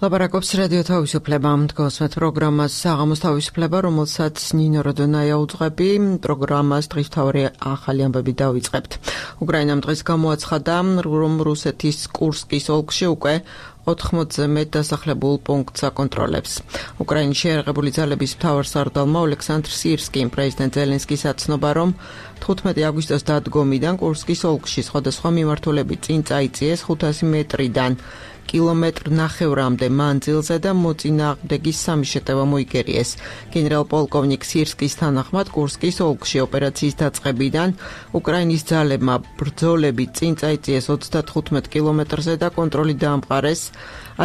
ლაპარაკობს რადიო თავისუფლება, თქვენს პროგრამას საღამოს თავისუფლება, რომელსაც ნინო როდონაია უძღვები. პროგრამას დღის მთავარი ახალი ამბები დავიწყებთ. უკრაინამ დღეს გამოაცხადა, რომ რუსეთის კურსკის ოლქში უკვე 80-ზე მეტ დასახლებულ პუნქტს აკონტროლებს. უკრაინის შეიარაღებული ძალების მთავარსარდალმა ოლექსანდრ სირსკიმ პრეზიდენტ ზელენსკის აცნობა, რომ 15 აგვისტოს დადგომიდან კურსკის ოლქში სხვადასხვა მიმართულებით წინ წაიწიეს 500 მეტრიდან კილომეტრ-ნახევრამდე მანძილზე და მოწინააღმდეგის სამი შეტევა მოიგერიეს. გენერალ-პოლკოვნიკ სირსკის თანახმად კურსკის ოლქში ოპერაციის დაწყებიდან უკრაინის ძალებმა ბრძოლები წინ წაიწიეს 35 კილომეტრზე და კონტროლი დაამყარეს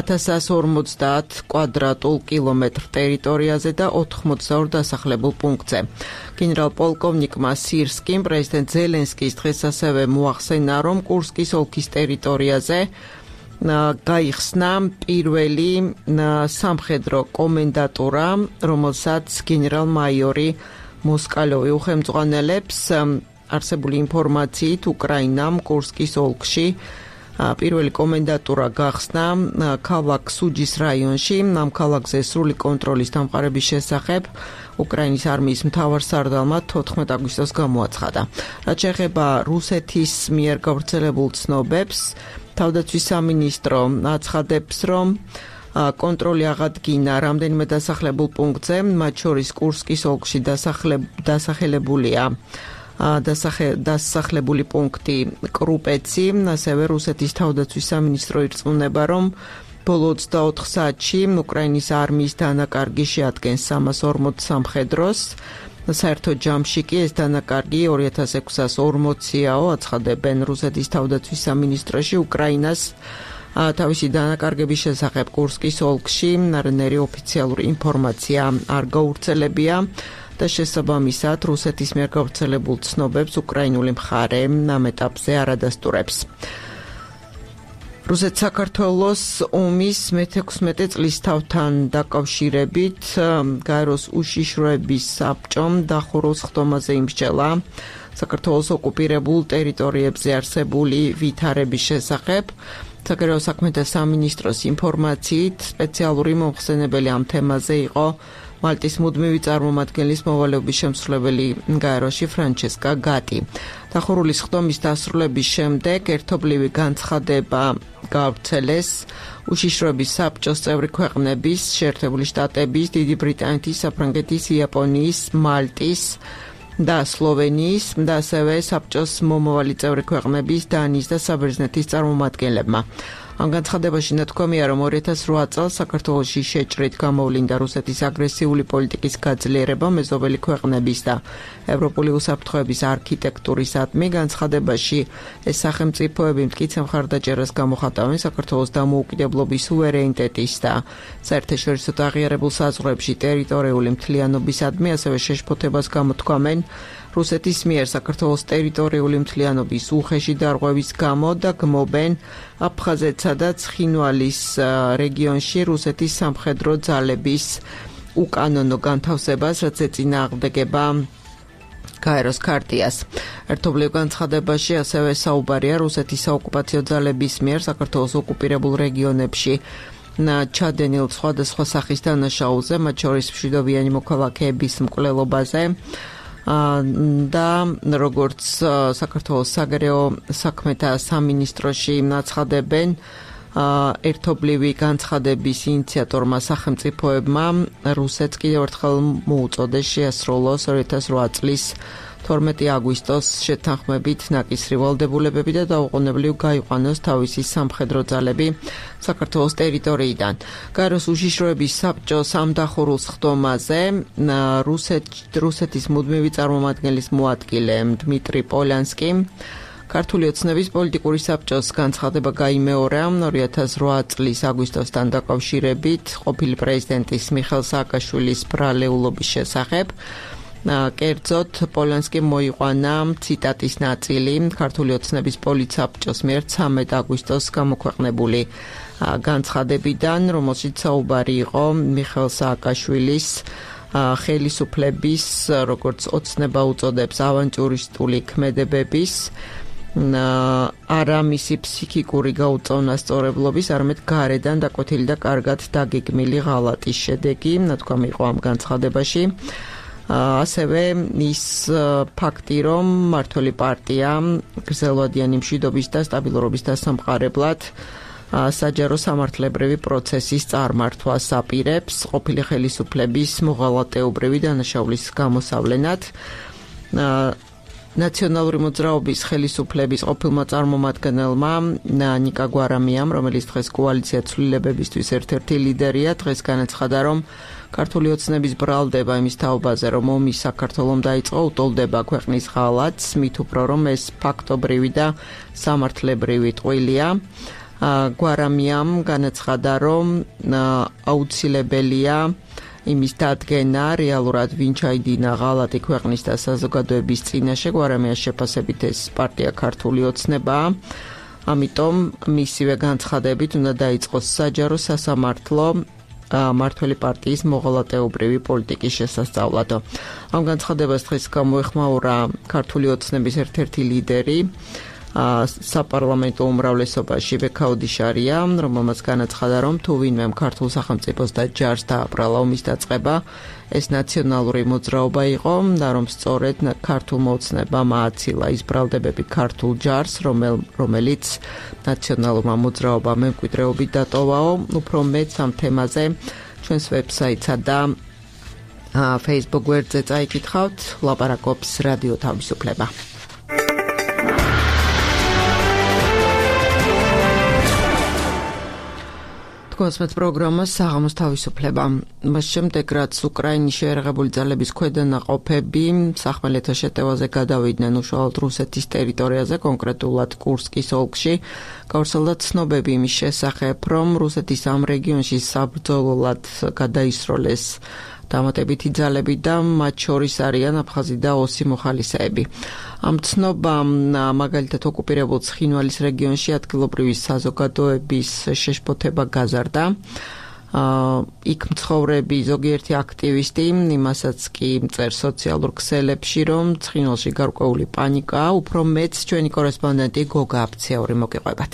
1150 კვადრატულ კილომეტრ ტერიტორიაზე და 82 დასახლებულ პუნქტზე. გენერალ-პოლკოვნიკმა სირსკიმ პრეზიდენტ ზელენსკის დღეს ასევე მოახსენა, რომ კურსკის ოლქის ტერიტორიაზე გაიხსნა პირველი სამხედრო კომენდატურა, რომელსაც გენერალ-მაიორი მოსკალოვი უხელმძღვანელებს. არსებული ინფორმაციით უკრაინამ კურსკის ოლქში პირველი კომენდატურა გახსნა ქალაქ სუჯის რაიონში. ამ ქალაქზე სრული კონტროლის დამყარების შესახებ უკრაინის არმიის მთავარსარდალმა 14 აგვისტოს გამოაცხადა. რაც შეეხება რუსეთის მიერ გავრცელებულ ცნობებს, თავდაცვის სამინისტრო აცხადებს, რომ კონტროლი აღადგინა რამდენიმე დასახლებულ პუნქტზე, მათ შორის კურსკის ოლქში დასახლებული პუნქტი კრუპეცი, ასევე რუსეთის თავდაცვის სამინისტრო ირწმუნება, რომ ბოლო 24 საათში უკრაინის არმიის დანაკარგი შეადგენს 340 სამხედროს. საერთო ჯამში კი ეს დანაკარგი 2640-აო, აცხადებენ რუსეთის თავდაცვის სამინისტროში. უკრაინას თავისი დანაკარგების შესახებ კურსკის ოლქში არანაირი ოფიციალური ინფორმაცია არ გავრცელებია და შესაბამისად რუსეთის მიერ გავრცელებულ ცნობებს უკრაინული მხარე ამ ეტაპზე არ ადასტურებს. რუსეთ-საქართველოს ომის მე-16 წლის თავთან დაკავშირებით გაეროს უშიშროების საბჭომ დახურულ სხდომაზე იმსჯელა საქართველოს ოკუპირებულ ტერიტორიებზე არსებული ვითარების შესახებ. საგარეო საქმეთა სამინისტროს ინფორმაციით სპეციალური მომხსენებელი ამ თემაზე იყო მალტის მუდმივი წარმომადგენლის მოვალეობის შემსრულებელი გაეროში ფრანჩესკა გატი. დახურული სხდომის დასრულების შემდეგ ერთობლივი განცხადება გავრცელეს უშიშროების საბჭოს წევრი ქვეყნების, შეერთებული შტატების, დიდი ბრიტანეთის, საფრანგეთის, იაპონიის, მალტის და სლოვენიის და ასევე საბჭოს მომავალი წევრი ქვეყნების, დანიის და საბერძნეთის წარმომადგენლებმა. ამ განცხადებაში ნათქვამია, რომ 2008 წელს საქართველოში შეჭრით გამოვლინდა რუსეთის აგრესიული პოლიტიკის გაძლიერება მეზობელი ქვეყნების და ევროპული უსაფრთხოების არქიტექტურისადმი. განცხადებაში ეს სახელმწიფოები მტკიცე მხარდაჭერას გამოხატავენ საქართველოს დამოუკიდებლობის, სუვერენიტეტის და საერთაშორისო აღიარებულ საზღვრებში ტერიტორიული მთლიანობისადმი, ასევე შეშფოთებას გამოთქვამენ რუსეთის მიერ საქართველოს ტერიტორიული მთლიანობის უხეში დარღვევის გამო და გმობენ აფხაზეთსა და ცხინვალის რეგიონში რუსეთის სამხედრო ძალების უკანონო განთავსებას, რაც ეწინააღმდეგება გაეროს ქარტიას. ერთობლივ განცხადებაში ასევე საუბარია რუსეთის საოკუპაციო ძალების მიერ საქართველოს ოკუპირებულ რეგიონებში ჩადენილ სხვადასხვა სახის დანაშაულზე, მათ შორის მშვიდობიანი მოქალაქეების მკვლელობაზე და როგორც საქართველოს საგარეო საქმეთა სამინისტროში აცხადებენ, ერთობლივი განცხადების ინიციატორმა სახელმწიფოებმა რუსეთს კიდევ ერთხელ მოუწოდეს შეასრულოს 2008 წლის 12 აგვისტოს შეთანხმებით ნაკისრი ვალდებულებები და დაუყოვნებლივ გაიყვანოს თავისი სამხედრო ძალები საქართველოს ტერიტორიიდან. გაეროს უშიშროების საბჭოს ამ დახურულ სხდომაზე რუსეთის მუდმივი წარმომადგენლის მოადგილე დმიტრი პოლიანსკიმ ქართული ოცნების პოლიტიკური საბჭოს განცხადება გაიმეორა 2008 წლის აგვისტოსთან დაკავშირებით ყოფილი პრეზიდენტის მიხეილ სააკაშვილის ბრალეულობის შესახებ. კერძოდ პოლიანსკიმ მოიყვანა ციტატის ნაწილი ქართული ოცნების პოლიტსაბჭოს მიერ 13 აგვისტოს გამოქვეყნებული განცხადებიდან, რომელშიც საუბარი იყო მიხეილ სააკაშვილის ხელისუფლების, როგორც ოცნება უწოდებს, ავანტიურისტული ქმედებების არა მისი ფსიქიკური გაუწონასწორებლობის, არამედ გარედან დაკვეთილი და კარგად დაგეგმილი ღალატის შედეგი, ნათქვამი იყო ამ განცხადებაში. ასევე ის ფაქტი, რომ მმართველი პარტია გრძელვადიანი მშვიდობის და სტაბილურობის დასამყარებლად საჯარო სამართლებრივი პროცესის წარმართვას აპირებს ყოფილი ხელისუფლების მოღალატეობრივი დანაშაულის გამოსავლენად. ნაციონალური მოძრაობის ხელისუფლების ყოფილმა წარმომადგენელმა ნიკა გვარამიამ, რომელიც დღეს კოალიცია ცვლილებებისთვის ერთ-ერთი ლიდერია, დღეს განაცხადა, რომ ქართული ოცნების ბრალდება იმის თაობაზე, რომ ომი საქართველომ დაიწყო, უტოლდება ქვეყნის ღალატს, მით უფრო რომ ეს ფაქტობრივი და სამართლებრივი ტყუილია. გვარამიამ განაცხადა, რომ აუცილებელია იმის დადგენა, რეალურად ვინ ჩაიდინა ღალატი ქვეყნის და საზოგადოების წინაშე. გვარამიას შეფასებით ეს პარტია ქართული ოცნებაა. ამიტომ მისივე განცხადებით უნდა დაიწყოს საჯარო სასამართლო მმართველი პარტიის მოღალატეობრივი პოლიტიკის შესასწავლად. ამ განცხადებას დღეს გამოეხმაურა ქართული ოცნების ერთ-ერთი ლიდერი, საპარლამენტო უმრავლესობაში ბექაოდიშარია, რომელმაც განაცხადა, რომ თუ ვინმე ქართულ სახელმწიფოს და ჯარს დააბრალა ომის დაწყება, ეს ნაციონალური მოძრაობა იყო და რომ სწორედ ქართულმა ოცნებამ ააცილა ის ბრალდებები ქართულ ჯარს, რომელიც ნაციონალურმა მოძრაობამ მემკვიდრეობით დატოვაო. უფრო მეც ამ თემაზე ჩვენს ვებსაიტსა და Facebook გვერდზე წაიკითხავთ. ლაპარაკობს რადიო თავისუფლება. კონსმეთ პროგრამა საღამოს თავისუფლება. მას შემდეგ რაც უკრაინის შეერაღებული ძალების ქვედანაყოფები სახმელეთო შეტევაზე გადავიდნენ უშუალოდ რუსეთის ტერიტორიაზე, კონკრეტულად კურსკის ოლქში, გავრცელდა ცნობები იმის შესახებ, რომ რუსეთის ამ რეგიონში საბრძოლოდ გადაისროლეს დამატებითი ძალები და მათ შორის არიან აფხაზი და ოსი მოხალისეები. ამ ცნობამ მაგალითად ოკუპირებულ ცხინვალის რეგიონში ადგილობრივი საზოგადოების შეშფოთება გაზარდა. იქ მცხოვრები ზოგიერთი აქტივისტი იმასაც კი წერს სოციალურ ქსელებში, რომ ცხინვალში გარკვეული პანიკაა, უფრო მეც ჩვენი კორესპონდენტი გოგა აფციაური მოგიყვებათ.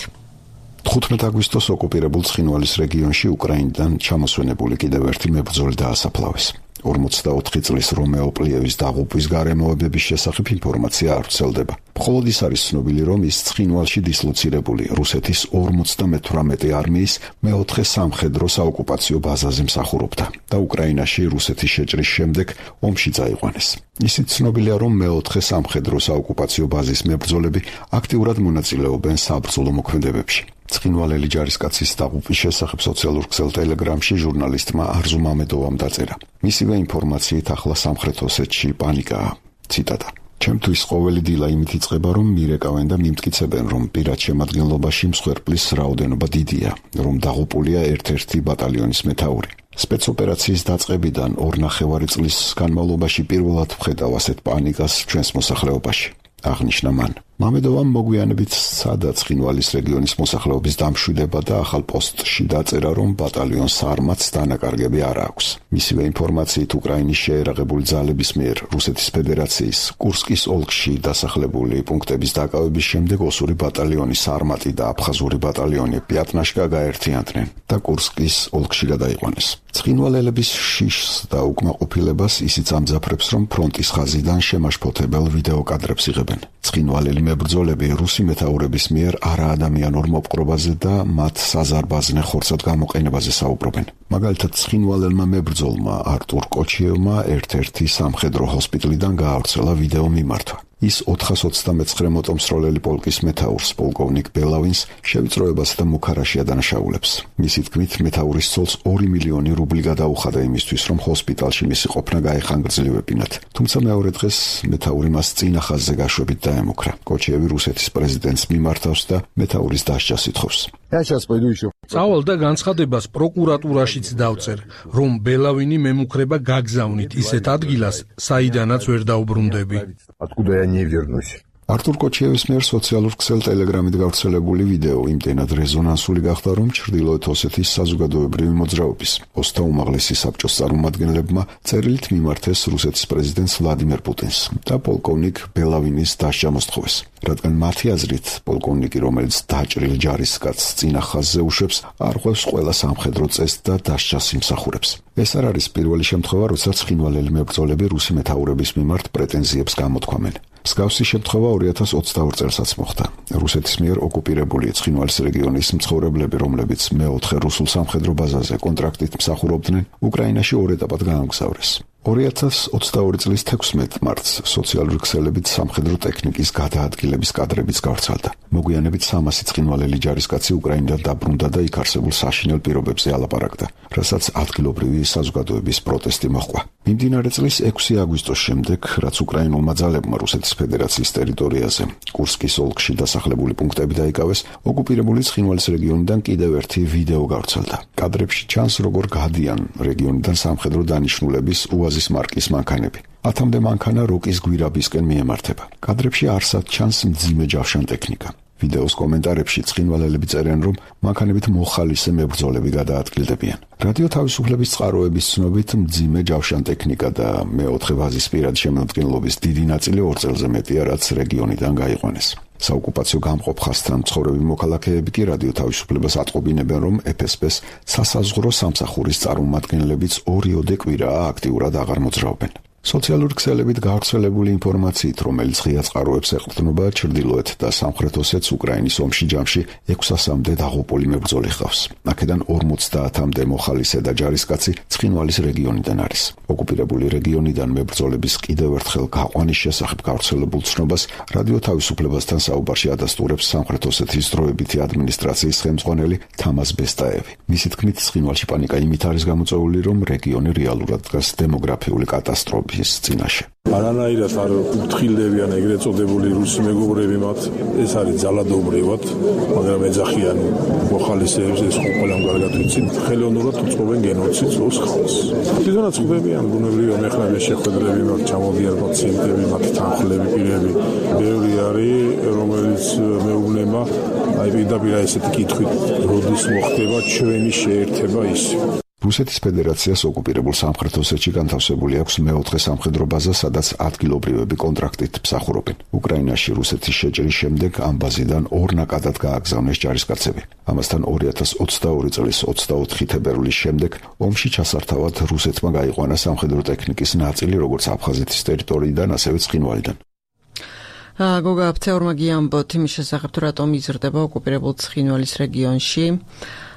15 აგვისტოს ოკუპირებულ ცხინვალის რეგიონში უკრაინიდან ჩამოსვენებული კიდევ ერთი მებრძოლი დაასაფლავეს. 44 წლის რომეო პლიევის დაღუპვის გარემოებების შესახებ ინფორმაცია არ ვრცელდება. მხოლოდ ის არის ცნობილი, რომ ის ცხინვალში დისლოცირებული რუსეთის 58 არმიის მეოთხე სამხედრო საოკუპაციო ბაზაზე მსახურობდა და უკრაინაში რუსეთის შეჭრის შემდეგ ომში წაიყვანეს. ისიც ცნობილია, რომ მეოთხე სამხედრო საოკუპაციო ბაზის მებრძოლები აქტიურად მონაწილეობენ საბრძოლო მოქმედებებში. ცხინვალელი ჯარისკაცის დაღუპვის შესახებ სოციალურ ქსელ ტელეგრამში ჟურნალისტმა არზუ მამედოვამ დაწერა. მისივე ინფორმაციით ახლა სამხრეთ ოსეთში პანიკაა. ციტატა: ჩემთვის ყოველი დილა იმით იწყება, რომ მირეკავენ და მიმტკიცებენ, რომ პირად შემადგენლობაში მსხვერპლის რაოდენობა დიდია, რომ დაღუპულია ერთ-ერთი ბატალიონის მეთაური. სპეცოპერაციის დაწყებიდან 2.5 წლის განმავლობაში პირველად ვხედავ ასეთ პანიკას ჩვენს მოსახლეობაში. აღნიშნა მან. მამედოვამ მოგვიანებით სცადა ცხინვალის რეგიონის მოსახლეობის დამშვიდება და ახალ პოსტში დაწერა, რომ ბატალიონს არმაც დანაკარგები არ აქვს. მისივე ინფორმაციით უკრაინის შეერაღებული ძალების მიერ რუსეთის ფედერაციის კურსკის ოლქში დასახლებული პუნქტების დაკავების შემდეგ ოსური ბატალიონის არმატი და აფხაზური ბატალიონი პიატნაშკა გაერთიანდნენ და კურსკის ოლქში გადაიყვანეს. ცხინვალელების შიშს და უკმაყოფილებას ისიც ამძაფრებს, რომ ფრონტის ხაზიდან შემაშფოთებელ ვიდეოკადრებს იღებენ. ცხინვალელი მებრძოლები რუსი მეთაურების მიერ არაადამიანურ მოპყრობაზე და მათ საზარბაზნე ხორცად გამოყენებაზე საუბრობენ. მაგალითად, ცხინვალელმა მებრძოლმა არტურ კოჩიევმა ერთ-ერთი სამხედრო ჰოსპიტალიდან გაავრცელა ვიდეო მიმართვა. ის 429 მოტომსროლელი პოლკის მეთაურს, პოლკოვნიკ ბელავინს, შევიწროებასა და მუქარაში ადანაშაულებს. მისი თქმით, მეთაურის ცოლს 2 მილიონი რუბლი გადაუხადა იმისთვის, რომ ჰოსპიტალში მისი ყოფნა გაეხანგრძლივებინათ. თუმცა მეორე დღეს მეთაური მას წინა ხაზზე გაშვებით დაემუქრა. კოჩიევი რუსეთის პრეზიდენტს მიმართავს და მეთაურის დასჯას ითხოვს. წავალ და განცხადებას პროკურატურაშიც დავწერ, რომ ბელავინი მემუქრება გაგზავნით ისეთ ადგილას, საიდანაც ვერ დაუბრუნდები. არტურ კოჩიევის მიერ სოციალურ ქსელ ტელეგრამით გავრცელებული ვიდეო იმდენად რეზონანსული გახდა, რომ ჩრდილოეთ ოსეთის საზოგადოებრივი მოძრაობის ოსთა უმაღლესი საბჭოს წარმომადგენლებმა წერილით მიმართეს რუსეთის პრეზიდენტს ვლადიმერ პუტინს და პოლკოვნიკ ბელავინის დასჯა მოსთხოვეს, რადგან მათი აზრით პოლკოვნიკი, რომელიც დაჭრილ ჯარისკაცს წინა ხაზზე უშვებს, არ ღვევს ყველა სამხედრო წესს და დასჯას იმსახურებს. ეს არ არის პირველი შემთხვევა, როდესაც ცხინვალელი მებრძოლები რუსი მეთაურების მიმართ პრეტენზიებს გამოთქვამენ. მსგავსი შემთხვევა 2022 წელსაც მოხდა. რუსეთის მიერ ოკუპირებული ცხინვალის რეგიონის მცხოვრებლები, რომლებიც მეოთხე რუსულ სამხედრო ბაზაზე კონტრაქტით მსახურობდნენ, უკრაინაში ორ ეტაპად გაამგზავრეს. 2022 წლის 16 მარტს სოციალური ქსელებით სამხედრო ტექნიკის გადაადგილების კადრებიც გავრცელდა. მოგვიანებით 300 ცხინვალელი ჯარისკაცი უკრაინიდან დაბრუნდა და იქ არსებულ საშინელ პირობებზე ალაპარაკდა, რასაც ადგილობრივი საზოგადოების პროტესტი მოჰყვა. მიმდინარე წლის 6 აგვისტოს შემდეგ, რაც უკრაინულმა ძალებმა რუსეთის ფედერაციის ტერიტორიაზე კურსკის ოლქში დასახლებული პუნქტები დაიკავეს, ოკუპირებული ცხინვალის რეგიონიდან კიდევ ერთი ვიდეო გავრცელდა. კადრებში ჩანს, როგორ გადიან რეგიონიდან სამხედრო დანიშნულების უაზის მარკის მანქანები. 10-მდე მანქანა როკის გვირაბისკენ მიემართება. კადრებში არსად ჩანს მძიმე ჯავშან ტექნიკა. ვიდეოს კომენტარებში ცხინვალელები წერენ, რომ მანქანებით მოხალისე მებრძოლები გადაადგილდებიან. რადიო თავისუფლების წყაროების ცნობით, მძიმე ჯავშან ტექნიკა და მეოთხე ვაზის პირადი შემადგენლობის დიდი ნაწილი 2 წელზე მეტია, რაც რეგიონიდან გაიყვანეს. საოკუპაციო გამყოფ ხაზთან მცხოვრები მოქალაქეები კი რადიო თავისუფლებას ატყობინებენ, რომ FSB-ს სასაზღვრო სამსახურის წარმომადგენლებიც 2 კვირაა აქტიურად აღარ მოძრაობენ. სოციალური ქსელებით გავრცელებული ინფორმაციით, რომელიც ღია წყაროებს ეყრდნობა, ჩრდილოეთ და სამხრეთ ოსეთს უკრაინის ომში ჯამში 600-მდე დაღუპული მებრძოლი ჰყავს. აქედან 50-მდე მოხალისე და ჯარისკაცი ცხინვალის რეგიონიდან არის. ოკუპირებული რეგიონიდან მებრძოლების კიდევ ერთხელ გაყვანის შესახებ გავრცელებულ ცნობას რადიო თავისუფლებასთან საუბარში ადასტურებს სამხრეთ ოსეთის დროებითი ადმინისტრაციის ხელმძღვანელი თამას ბესტაევი. მისი თქმით, ცხინვალში პანიკა იმით არის გამოწვეული, რომ რეგიონი რეალურად დგას დემოგრაფიული კატასტროფის წინაშე. არანაირად არ უთხრილებიან ეგრეთ წოდებული რუსი მეგობრები მათ, ეს არის ძალადობრივად, მაგრამ ეძახიან მოხალისეებს, ეს ყველამ კარგად ვიცით, ხელოვნურად უწყობენ გენოციდს რუს ხალხს. თვითონაც ხვდებიან ბუნებრივი მეხნების შეხვედრები, მათ ჩამოდიან პაციენტები, მათ თანხლები, პირები. ბევრი არის, რომელიც მეუბნება, აი პირდაპირ ესეთი კითხვით, როდის მოხდება ჩვენი შეერთება ის. რუსეთის ფედერაციას ოკუპირებულ სამხრეთ ოსეთში განთავსებული აქვს მეოთხე სამხედრო ბაზა, სადაც ადგილობრივები კონტრაქტით მსახურობენ. უკრაინაში რუსეთის შეჭრის შემდეგ ამ ბაზიდან 2 ნაკადად გააგზავნეს ჯარისკაცები. ამასთან 2022 წლის 24 თებერვლის შემდეგ ომში ჩასართავად რუსეთმა გაიყვანა სამხედრო ტექნიკის ნაწილი, როგორც აფხაზეთის ტერიტორიიდან, ასევე ცხინვალიდან. გოგა აფცეურმა გიამბოთ იმის შესახებ, თუ რატომ იზრდება ოკუპირებულ ცხინვალის რეგიონში.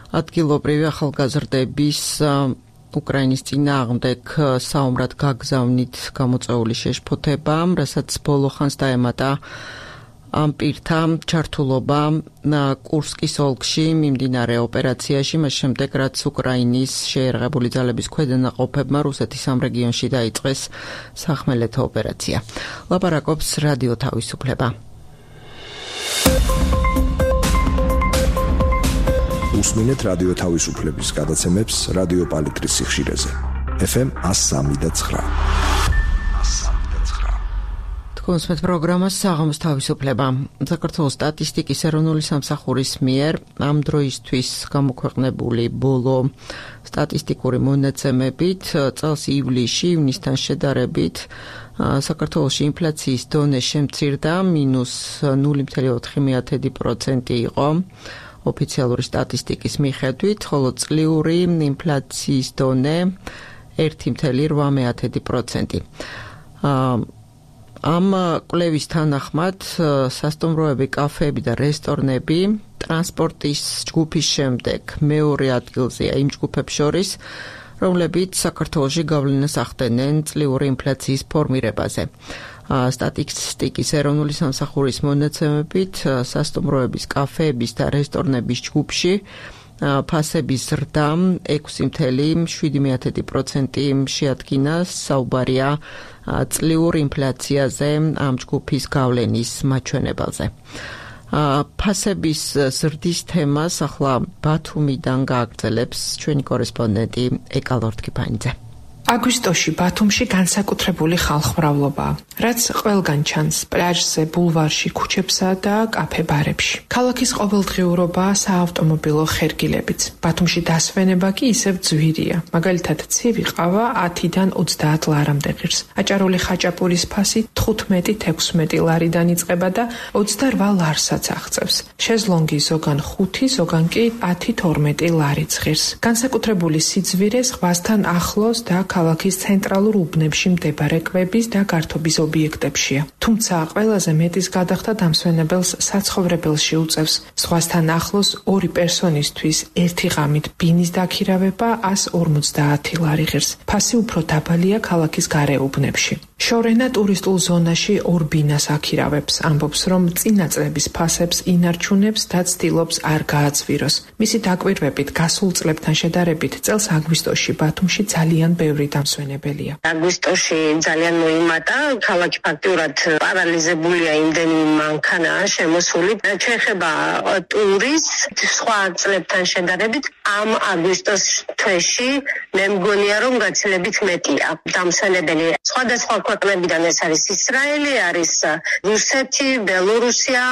ადგილობრივი ახალგაზრდების უკრაინის წინააღმდეგ საომრად გაგზავნით გამოწვეული შეშფოთება, რასაც ბოლო ხანს დაემატა ამ პირთა ჩართულობა კურსკის ოლქში მიმდინარე ოპერაციაში, მას შემდეგ რაც უკრაინის შეერაღებული ძალების ქვედანაყოფებმა რუსეთის ამ რეგიონში დაიწყეს სახმელეთო ოპერაცია. ლაპარაკობს რადიო თავისუფლება. უსმინეთ რადიო თავისუფლების გადაცემებს რადიო პალიტრის სიხშირეზე. FM 103.9. კონსმეთ პროგრამა საღამოს თავისუფლება. საქართველოს სტატისტიკის ეროვნული სამსახურის მიერ ამ დროისთვის გამოქვეყნებული ბოლო სტატისტიკური მონაცემებით წელს ივლისში ივნისთან შედარებით საქართველოში ინფლაციის დონე შემცირდა -0.4% იყო. ოფიციალური სტატისტიკის მიხედვით, ხოლო წლიური ინფლაციის დონე 1.8%. ამ კვლევის თანახმად სასტუმროები, კაფეები და რესტორნები ტრანსპორტის ჯგუფის შემდეგ მეორე ადგილზეა იმ ჯგუფებს შორის, რომლებიც საქართველოში გავლენას ახდენენ წლიური ინფლაციის ფორმირებაზე. სტატისტიკის ეროვნული სამსახურის მონაცემებით სასტუმროების, კაფეების და რესტორნების ჯგუფში ფასების ზრდა 6.7% შეადგინა. საუბარია წლიურ ინფლაციაზე ამ ჯგუფის გავლენის მაჩვენებელზე. ფასების ზრდის თემას ახლა ბათუმიდან გააგრძელებს ჩვენი კორესპონდენტი ეკალორთქიფანიძე. აგვისტოში ბათუმში განსაკუთრებული ხალხმრავლობაა. რაც ყველგან ჩანს პლაჟზე, ბულვარში, ქუჩებსა და კაფე-ბარებში. ქალაქის ყოველდღიურობა საავტომობილო ხერგილებიც. ბათუმში დასვენება კი ისევ ძვირია. მაგალითად, ცივი ყავა 10-დან 30 ლარამდე ღირს. აჭარული ხაჭაპურის ფასი 15-16 ლარიდან იწყება და 28 ლარსაც აღწევს. შეზლონგი ზოგან 5, ზოგან კი 10-12 ლარიც ღირს. განსაკუთრებული სიძვირე ზღვასთან ახლოს და ქალაქის ცენტრალურ უბნებში მდებარე კვების და გართობის ობიექტებშია. თუმცა ყველაზე მეტის გადახდა დამსვენებელს საცხოვრებელში უწევს. ზღვასთან ახლოს 2 პერსონისთვის ერთი ღამით ბინის დაქირავება 150 ლარი ღირს. ფასი უფრო დაბალია ქალაქის გარეუბნებში. შორენა ტურისტულ ზონაში 2 ბინას აქირავებს, ამბობს, რომ წინა წლების ფასებს ინარჩუნებს და ცდილობს არ გააძვიროს. მისი დაკვირვებით გასულ წლებთან შედარებით წელს აგვისტოში ბათუმში ძალიან ბევრი დამსვენებელია. აგვისტოში ძალიან მოიმატა, ქალაქი ფაქტიურად პარალიზებულია, იმდენი მანქანაა შემოსული. შეეხება ტურისტს სხვა წლებთან შედარებით ამ აგვისტოს თვეში მე მგონია რომ გაცილებით მეტია დამსვენებელი. სხვადასხვა ქვეყნებიდან ეს არის ისრაელი, არის რუსეთი, ბელორუსია,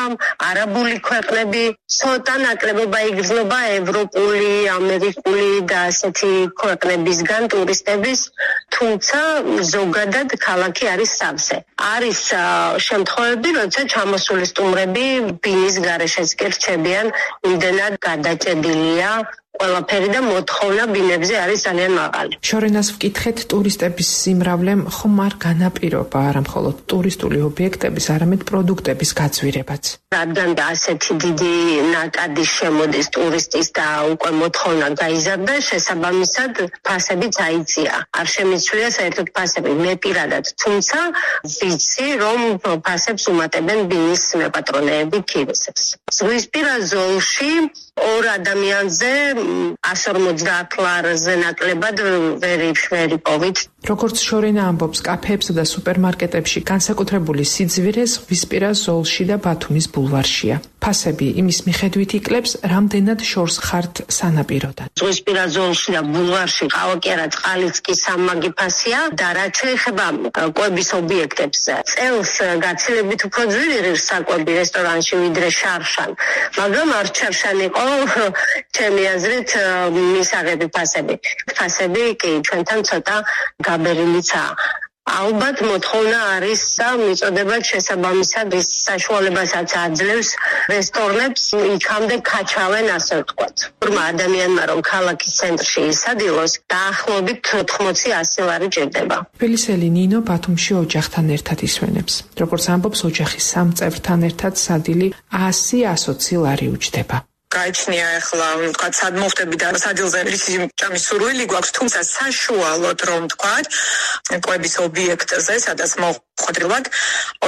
არაბული ქვეყნები, ცოტა ნაკლებობა იგრძნობა ევროპული, ამერიკული და ასეთი ქვეყნებისგან ტურისტების, თუმცა ზოგადად ქალაქი არის სავსე. არის შემთხვევები, როცა ჩამოსული სტუმრები ბინის გარეშეც კი რჩებიან, იმდენად გადაჭედილია ყველაფერი და მოთხოვნა ბინებზე არის ძალიან მაღალი. შორენას ვკითხეთ, ტურისტების სიმრავლემ ხომ არ განაპირობა არა მხოლოდ ტურისტული ობიექტების, არამედ პროდუქტების გაძვირებაც. რადგან ასეთი დიდი ნაკადი შემოდის ტურისტის და უკვე მოთხოვნა გაიზარდა, შესაბამისად ფასებიც აიწია. არ შემიცვლია საერთოდ ფასები, მე პირადად, თუმცა ვიცი, რომ ფასებს უმატებენ ბინის მეპატრონეები ქირისებს. ზღვისპირა ზოლში 2 ადამიანზე 150 ლარზე ნაკლებად ვერ იპოვით. როგორც შორენა ამბობს, კაფეებსა და სუპერმარკეტებში განსაკუთრებული სიძვირე ზღვისპირა ზოლში და ბათუმის ბულვარშია. ფასები იმის მიხედვით იკლებს, რამდენად შორს ხართ სანაპიროდან. ზღვისპირა ზოლში და ბულვარში ყავა კი არა, წყალიც კი სამმაგი ფასია და რაც შეეხება კვების ობიექტებს, წელს გაცილებით უფრო ძვირი ღირს საკვები რესტორანში ვიდრე შარშან, მაგრამ არ შარშან იყო ჩემი აზრით მისაღები ფასები. ფასები კი ჩვენთან ცოტა გაბერილიცაა. ალბათ მოთხოვნა არის და მიწოდება შესაბამისად ის საშუალებასაც აძლევს რესტორნებს იქამდე ქაჩავენ, ასე ვთქვათ. ბრმა ადამიანმა რომ ქალაქის ცენტრში ისადილოს, დაახლოებით 80-100 ლარი ჭირდება. თბილისელი ნინო ბათუმში ოჯახთან ერთად ისვენებს. როგორც ამბობს, ოჯახის 3 წევრთან ერთად სადილი 100-120 ლარი უჯდება. გაიჩნია ახლა, თქვა, სად მოხდები და სადილზე რისი ჭამის სურვილი გვაქვს, თუმცა საშუალოდ რომ თქვა, კვების ობიექტზე, სადაც მოხვედრილად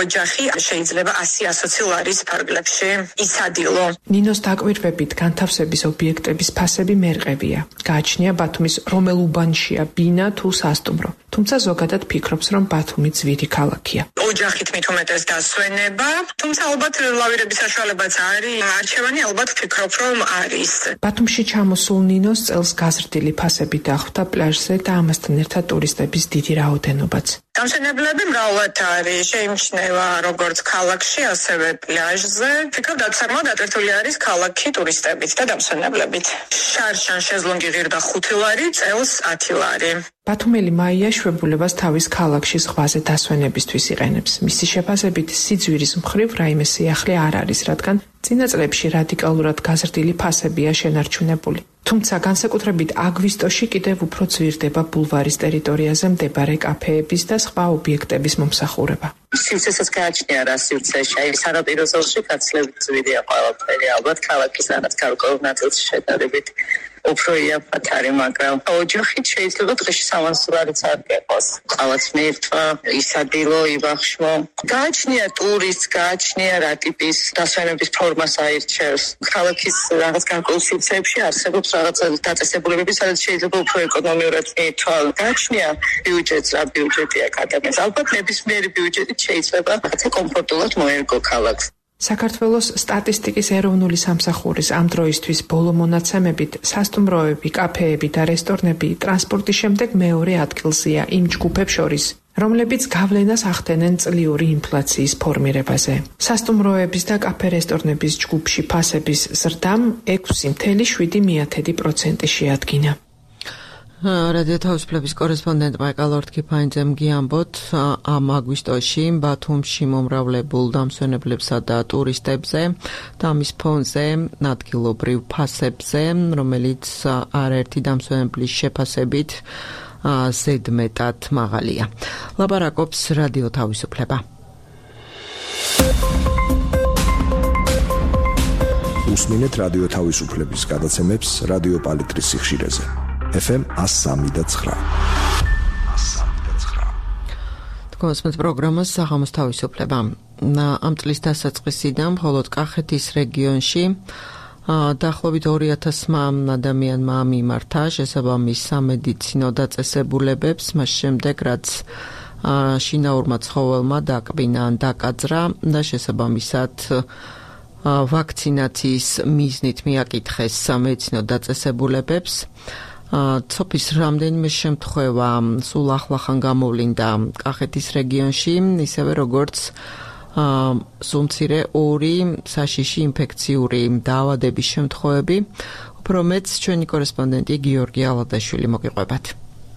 ოჯახი შეიძლება 100-120 ლარის ფარგლებში ისადილო. ნინოს დაკვირვებით განთავსების ობიექტების ფასები მერყევია. გააჩნია ბათუმის რომელ უბანშია ბინა თუ სასტუმრო. თუმცა ზოგადად ფიქრობს, რომ ბათუმი ძვირი ქალაქია. ოჯახით მით უმეტეს დასვენება, თუმცა ალბათ ლავირების საშუალებაც არის. არჩევანი ალბათ ფიქრობ, რომ არის. ბათუმში ჩამოსულ ნინოს წელს გაზრდილი ფასები დახვდა პლაჟზე და ამასთან ერთად ტურისტების დიდი რაოდენობაც. დამსვენებლები მრავლად არის, შეიმჩნევა როგორც ქალაქში, ასევე პლაჟზე. ფიქრობ, დაცარმა დატვირთული არის ქალაქი ტურისტებით და დამსვენებლებით. შარშან შეზლონგი ღირდა 5 ლარი, წელს 10 ლარი. ბათუმელი მაია შვებულებას თავის ქალაქში ზღვაზე დასვენებისთვის იყენებს. მისი შეფასებით სიძვირის მხრივ რაიმე სიახლე არ არის, რადგან წინა წლებში რადიკალურად გაზრდილი ფასებია შენარჩუნებული. თუმცა განსაკუთრებით აგვისტოში კიდევ უფრო ძვირდება ბულვარის ტერიტორიაზე მდებარე კაფეების და სხვა ობიექტების მომსახურება. სივრცესაც გააჩნია რა სივრცეში, აი სანაპირო ზოლში გაცილებით ძვირია ყველაფერი, ალბათ ქალაქის რაღაც გარკვეულ ნაწილში შედარებით უფრო იაფად არის, მაგრამ ოჯახით შეიძლება დღეში 300 ლარიც არ გეყოს. ყავაც მერტვა, ისადილო, იბახშმო. გააჩნია ტურისტს, გააჩნია რა ტიპის დასვენების ფორმას აირჩევს. ქალაქის რაღაც გარკვეულ სივრცეებში არსებობს რაღაც დაწესებულებები, სადაც შეიძლება უფრო ეკონომიურად მიითვალო. გააჩნია ბიუჯეტს, რა ბიუჯეტი აქვს ადამიანს. ალბათ ნებისმიერი ბიუჯეტით შეიძლება რაღაცა კომფორტულად მოერგო ქალაქს. საქართველოს სტატისტიკის ეროვნული სამსახურის ამ დროისთვის ბოლო მონაცემებით სასტუმროები, კაფეები და რესტორნები ტრანსპორტის შემდეგ მეორე ადგილზეა იმ ჯგუფებს შორის, რომლებიც გავლენას ახდენენ წლიური ინფლაციის ფორმირებაზე. სასტუმროების და კაფე-რესტორნების ჯგუფში ფასების ზრდამ 6.7% შეადგინა. რადიო თავისუფლების კორესპონდენტ მაიკალ ორთქიფაინძემ გიამბოთ, ამ აგვისტოში ბათუმში მომრავლებულ დამსვენებლებსა და ტურისტებზე და მის ფონზე ადგილობრივ ფასებზე, რომელიც არაერთი დამსვენებლის შეფასებით ზედმეტად მაღალია. ლაპარაკობს რადიო თავისუფლება. უსმინეთ რადიო თავისუფლების გადაცემებს რადიო პალიტრის სიხშირეზე. FM 103.9. თქვენს პროგრამას საღამოს თავისუფლება. ამ წლის დასაწყისიდან მხოლოდ კახეთის რეგიონში დაახლოებით 2000 ადამიანმა მიმართა შესაბამის სამედიცინო დაწესებულებებს, მას შემდეგ რაც შინაურმა ცხოველმა დაკბინა ან დაკაძრა და შესაბამისად ვაქცინაციის მიზნით მიაკითხეს სამედიცინო დაწესებულებებს. ცოფის რამდენიმე შემთხვევა სულ ახლახან გამოვლინდა კახეთის რეგიონში, ისევე როგორც სულ მცირე 2 საშიში ინფექციური დაავადების შემთხვევები. უფრო მეც ჩვენი კორესპონდენტი გიორგი ალადაშვილი მოგიყვებათ.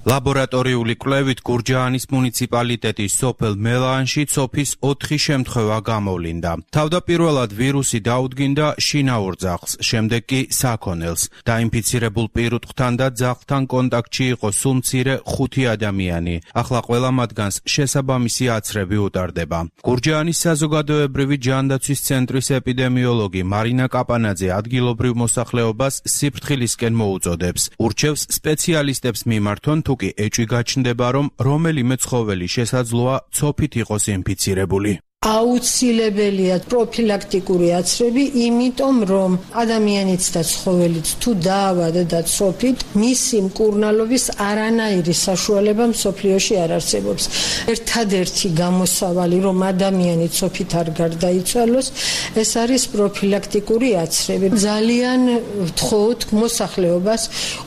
ლაბორატორიული კვლევით გურჯაანის მუნიციპალიტეტის სოფელ მელაანში ცოფის 4 შემთხვევა გამოვლინდა. თავდაპირველად ვირუსი დაუდგინდა შინაურ ძაღლს, შემდეგ კი საქონელს. დაინფიცირებულ პირუტყვთან და ძაღლთან კონტაქტში იყო სულ მცირე 5 ადამიანი. ახლა ყველა მათგანს შესაბამისი აცრები უტარდება. გურჯაანის საზოგადოებრივი ჯანდაცვის ცენტრის ეპიდემიოლოგი მარინა კაპანაძე ადგილობრივ მოსახლეობას სიფრთხილისკენ მოუწოდებს. ურჩევს სპეციალისტებს მიმართონ თუკი ეჭვი გაჩნდება, რომ რომელიმე ცხოველი შესაძლოა ცოფით იყოს ინფიცირებული. აუცილებელია პროფილაქტიკური აცრები, იმიტომ რომ ადამიანიც და ცხოველიც თუ დაავადდა და ცოფით, მისი მკურნალობის არანაირი საშუალება მსოფლიოში არ არსებობს. ერთადერთი გამოსავალი, რომ ადამიანი ცოფით არ გარდაიცვალოს, ეს არის პროფილაქტიკური აცრები. ძალიან ვთხოვთ მოსახლეობას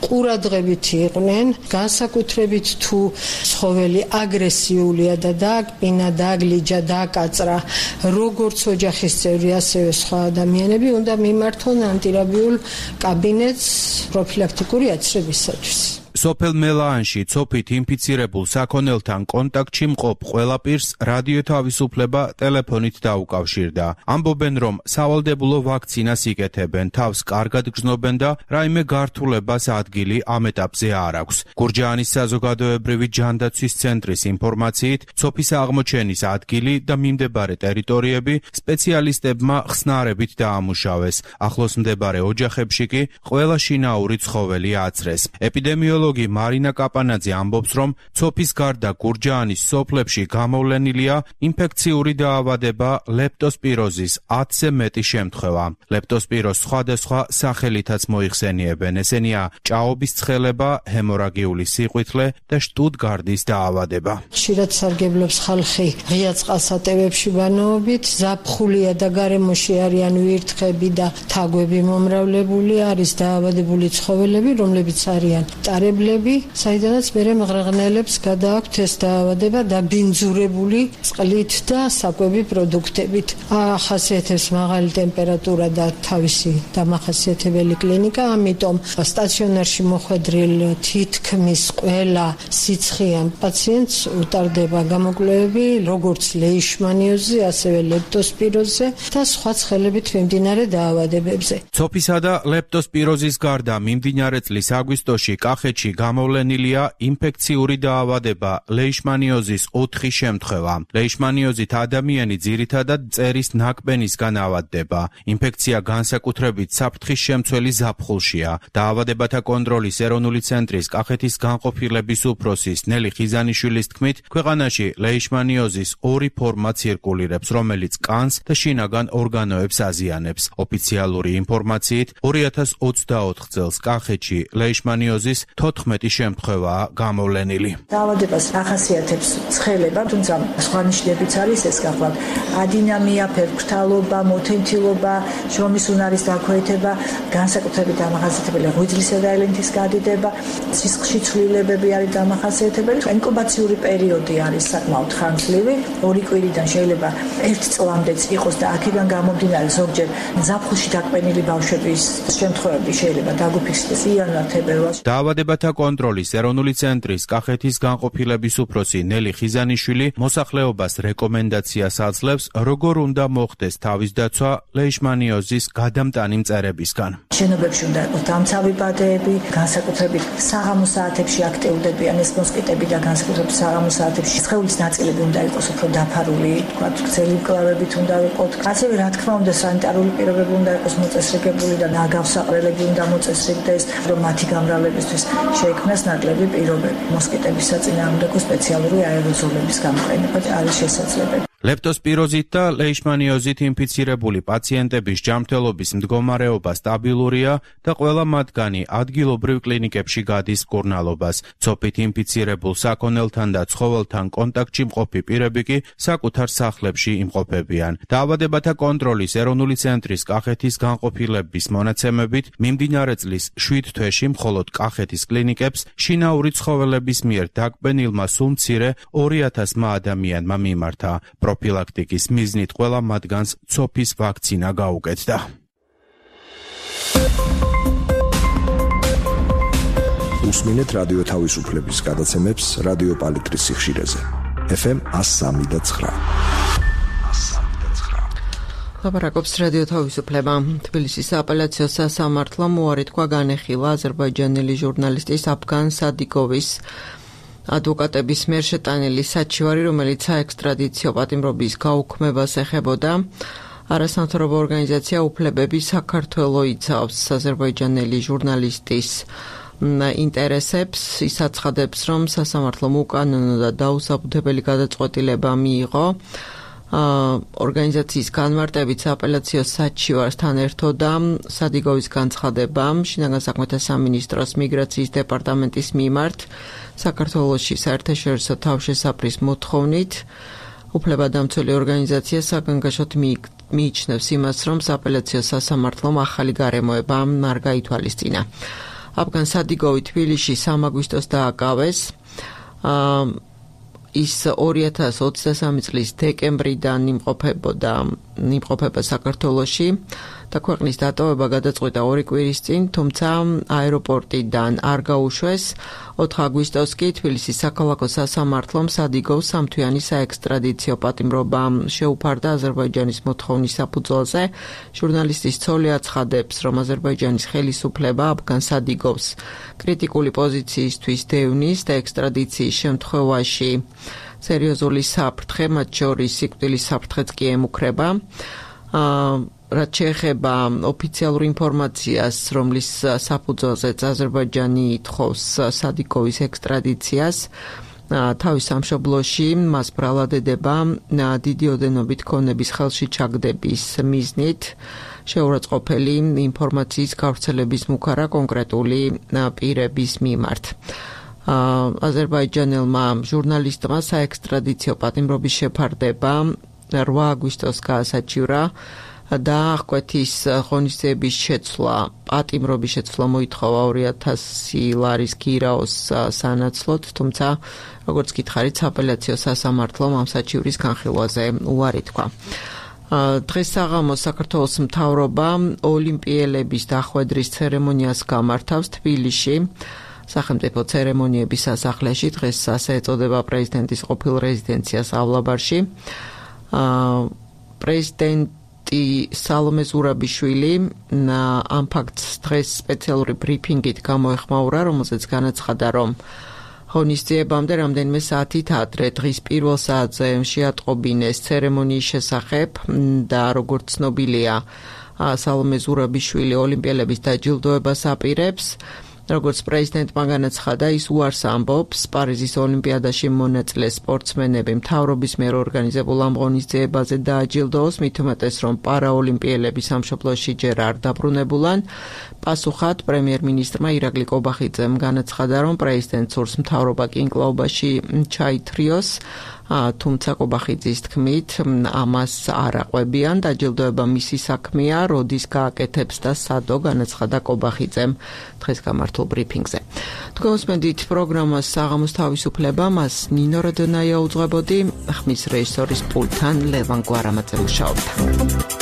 ყურადღებით იყვნენ, განსაკუთრებით თუ ცხოველი აგრესიულია და დააკბინა, დააგლიჯა, დააკაწრა, როგორც ოჯახის წევრი, ასევე სხვა ადამიანები უნდა მიმართონ ანტირაბიულ კაბინეტს პროფილაქტიკური აცრებისათვის. სოფელ მელაანში ცოფით ინფიცირებულ საქონელთან კონტაქტში მყოფ ყველა პირს რადიო თავისუფლება ტელეფონით დაუკავშირდა. ამბობენ, რომ სავალდებულო ვაქცინას იკეთებენ, თავს კარგად გრძნობენ და რაიმე გართულებას ადგილი ამ ეტაპზე არ აქვს. გურჯაანის საზოგადოებრივი ჯანდაცვის ცენტრის ინფორმაციით, ცოფის აღმოჩენის ადგილი და მიმდებარე ტერიტორიები სპეციალისტებმა ხსნარებით დაამუშავეს. ახლოს მდებარე ოჯახებში კი ყველა შინაური ცხოველი აცრეს. ეპიდემიოლოგი მარინა კაპანაძე ამბობს, რომ ცოფის გარდა გურჯაანის სოფლებში გამოვლენილია ინფექციური დაავადება ლეპტოსპიროზის 10-ზე მეტი შემთხვევა. ლეპტოსპიროზს სხვადასხვა სახელითაც მოიხსენიებენ. ესენია ჭაობის ცხელება, ჰემორაგიული სიყვითლე და შტუტგარდის დაავადება. ხშირად სარგებლობს ხალხი ღია წყალსატევებში ბანაობით, ზაფხულია და გარემოში არიან ვირთხები და თაგვები მომრავლებული, არის დაავადებული ცხოველები, რომლებიც არიან ტარებლები, საიდანაც მერე მღრღნელებს გადააქვთ ეს დაავადება დაბინძურებული წყლით და საკვები პროდუქტებით. ახასიათებს მაღალი ტემპერატურა და თავისი დამახასიათებელი კლინიკა, ამიტომ სტაციონარში მოხვედრილ თითქმის ყველა სიცხიან პაციენტს უტარდება გამოკვლევები, როგორც ლეიშმანიოზზე, ასევე ლეპტოსპიროზზე და სხვა ცხელებით მიმდინარე დაავადებებზე. ცოფისა და ლეპტოსპიროზის გარდა მიმდინარე წლის აგვისტოში კახეთში გამოვლენილია ინფექციური დაავადება ლეიშმანიოზის 4 შემთხვევა. ლეიშმანიოზით ადამიანი ძირითადად მწერის ნაკბენისგან ავადდება. ინფექცია განსაკუთრებით საფრთხის შემცველი ზაფხულშია. დაავადებათა კონტროლის ეროვნული ცენტრის კახეთის განყოფილების უფროსის ნელი ხიზანიშვილის თქმით, ქვეყანაში ლეიშმანიოზის 2 ფორმა ცირკულირებს, რომელიც კანს და შინაგან ორგანოებს აზიანებს. ოფიციალური ინფორმაციით 2024 წელს კახეთში ლეიშმანიოზის 14 შემთხვევაა გამოვლენილი. დაავადებას ახასიათებს ცხელება, თუმცა სხვა ნიშნებიც არის ეს გახლავთ ადინამია, ფერფრთალობა, მოთენთილობა, შრომის უნარის დაქვეითება, განსაკუთრებით დამახასიათებელი ღვიძლისა და ელენთის გადიდება, სისხლში ცვლილებები არის დამახასიათებელი. ინკუბაციური პერიოდი არის საკმაოდ ხანგრძლივი, 2 კვირიდან შეიძლება 1 წლამდეც იყოს და აქედან გამომდინარე ზოგჯერ ზაფხულში დაკვენილი ბავშვების შემთხვევები შეიძლება დაგუფიქსდეს იანვარ-თებერვალში. დაავადებათა კონტროლის ეროვნული ცენტრის კახეთის განყოფილების უფროსი ნელი ხიზანიშვილი მოსახლეობას რეკომენდაციას აძლევს, როგორ უნდა მოხდეს თავის დაცვა ლეიშმანიოზის გადამტანი მწერებისგან. შენობებში უნდა იყოს დამცავი ბადეები, განსაკუთრებით საღამო საათებში აქტიურდებიან ეს მოსკიტები და განსაკუთრებით საღამო საათებში სხეულის ნაწილები უნდა იყოს უფრო დაფარული, თქვათ, გრძელი მკლავებით უნდა იყოს. ასევე რა თქმა უნდა სანიტარული პირობები უნდა იყოს მოწესრიგებული და ნაგავსაყრელები უნდა მოწესრიგდეს, რომ მათი გამრავლებისთვის შეიქმნას ნაკლები პირობები. მოსკიტების საწინააღმდეგო სპეციალური აეროზოლების გამოყენება არის შესაძლებელი. ლეპტოსპიროზით და ლეიშმანიოზით ინფიცირებული პაციენტების ჯანმრთელობის მდგომარეობა სტაბილურია და ყველა მათგანი ადგილობრივ კლინიკებში გადის მკურნალობას. ცოფით ინფიცირებულ საქონელთან და ცხოველთან კონტაქტში მყოფი პირები კი საკუთარ სახლებში იმყოფებიან. დაავადებათა კონტროლის ეროვნული ცენტრის კახეთის განყოფილების მონაცემებით, მიმდინარე წლის 7 თვეში მხოლოდ კახეთის კლინიკებს შინაური ცხოველების მიერ დაკვენილმა სულ მცირე 2000 ადამიანმა მიმართა. პროფილაქტიკის მიზნით ყველა მათგანს ცოფის ვაქცინა გაუკეთდა. უსმინეთ რადიო თავისუფლების გადაცემებს რადიო პალიტრის სიხშირეზე. FM 103.9. ლაპარაკობს რადიო თავისუფლება. თბილისის აპელაციო სასამართლომ უარი თქვა განეხილა აზერბაიჯანელი ჟურნალისტის აფგან სადიკოვის ადვოკატების მიერ შეტანილი საჩივარი, რომელიც საექსტრადიციო პატიმრობის გაუქმებას ეხებოდა. არასამთავრობო ორგანიზაცია უფლებები საქართველოს იცავს აზერბაიჯანელი ჟურნალისტის ინტერესებს. ის აცხადებს, რომ სასამართლომ უკანონო და დაუსაბუთებელი გადაწყვეტილება მიიღო. ორგანიზაციის განმარტებით აპელაციო საჩივართან ერთოდა სადიკოვის განცხადება შინაგან საქმეთა სამინისტროს მიგრაციის დეპარტამენტის მიმართ საქართველოში საერთაშორისო თავშესაფრის მოთხოვნით. უფლებადამცველი ორგანიზაცია საგანგაშოდ მიიჩნევს იმას, რომ აპელაციო სასამართლომ ახალი გარემოება არ გაითვალისწინა. აფგან სადიკოვი თბილისში 3 აგვისტოს დააკავეს. ის 2023 წლის დეკემბრიდან იმყოფება საქართველოში და ქვეყნის დატოვება გადაწყვიტა 2 კვირის წინ, თუმცა აეროპორტიდან არ გაუშვეს. 4 აგვისტოს კი თბილისის საქალაქო სასამართლომ სადიკოვს 3 თვიანი საექსტრადიციო პატიმრობა შეუფარდა აზერბაიჯანის მოთხოვნის საფუძველზე. ჟურნალისტის ცოლი აცხადებს, რომ აზერბაიჯანის ხელისუფლება აფგან სადიკოვს კრიტიკული პოზიციისთვის დევნის და ექსტრადიციის შემთხვევაში სერიოზული საფრთხე, მათ შორის სიკვდილის საფრთხეც კი ემუქრება. რაც შეეხება ოფიციალურ ინფორმაციას, რომლის საფუძველზეც აზერბაიჯანი ითხოვს სადიკოვის ექსტრადიციას, თავის სამშობლოში მას ბრალადედება დიდი ოდენობით ქონების ხელში ჩაგდების მიზნით შეურაცხყოფელი ინფორმაციის გავრცელების მუქარა კონკრეტული პირების მიმართ. აზერბაიჯანელმა ჟურნალისტმა საექსტრადიციო პატიმრობის შეფარდება 8 აგვისტოს გაასაჩივრა და აღკვეთის ღონისძიების შეცვლა, პატიმრობის შეცვლა მოითხოვა 2000 ლარის გირაოს სანაცვლოდ, თუმცა როგორც გითხარით, აპელაციო სასამართლომ ამ საჩივრის განხილვაზე უარი თქვა. დღეს საღამოს საქართველოს მთავრობა ოლიმპიელების დახვედრის ცერემონიას გამართავს თბილისში. სახელმწიფო ცერემონიების სასახლეში დღეს ასე ეწოდება პრეზიდენტის ყოფილ რეზიდენციას ავლაბარში. პრეზიდენტი სალომე ზურაბიშვილი ამ ფაქტს დღეს სპეციალური ბრიფინგით გამოეხმაურა, რომელზეც განაცხადა, რომ ღონისძიებამდე რამდენიმე საათით ადრე დღის პირველ საათზე შეატყობინეს ცერემონიის შესახებ და როგორც ცნობილია, სალომე ზურაბიშვილი ოლიმპიელების დაჯილდოებას აპირებს. როგორც პრეზიდენტმა განაცხადა, ის უარს ამბობს პარიზის ოლიმპიადაში მონაწილე სპორტსმენები მთავრობის მიერ ორგანიზებულ ამ ღონისძიებაზე დააჯილდოოს, მით უმეტეს რომ პარაოლიმპიელები სამშობლოში ჯერ არ დაბრუნებულან. პასუხად პრემიერ-მინისტრმა ირაკლი კობახიძემ განაცხადა, რომ პრეზიდენტს სურს მთავრობა კინკლაობაში ჩაითრიოს, თუმცა კობახიძის თქმით, ამას არ აყვებიან, დაჯილდოება მისი საქმეა, როდის გააკეთებს და სადო, განაცხადა კობახიძემ დღეს გამართულ ბრიფინგზე. თქვენსმენდით პროგრამას საღამოს თავისუფლება, მას ნინო როდონაია უძღვებოდი, ხმის რეჟისორის პულტთან ლევან გვარამაძე მუშაობდა.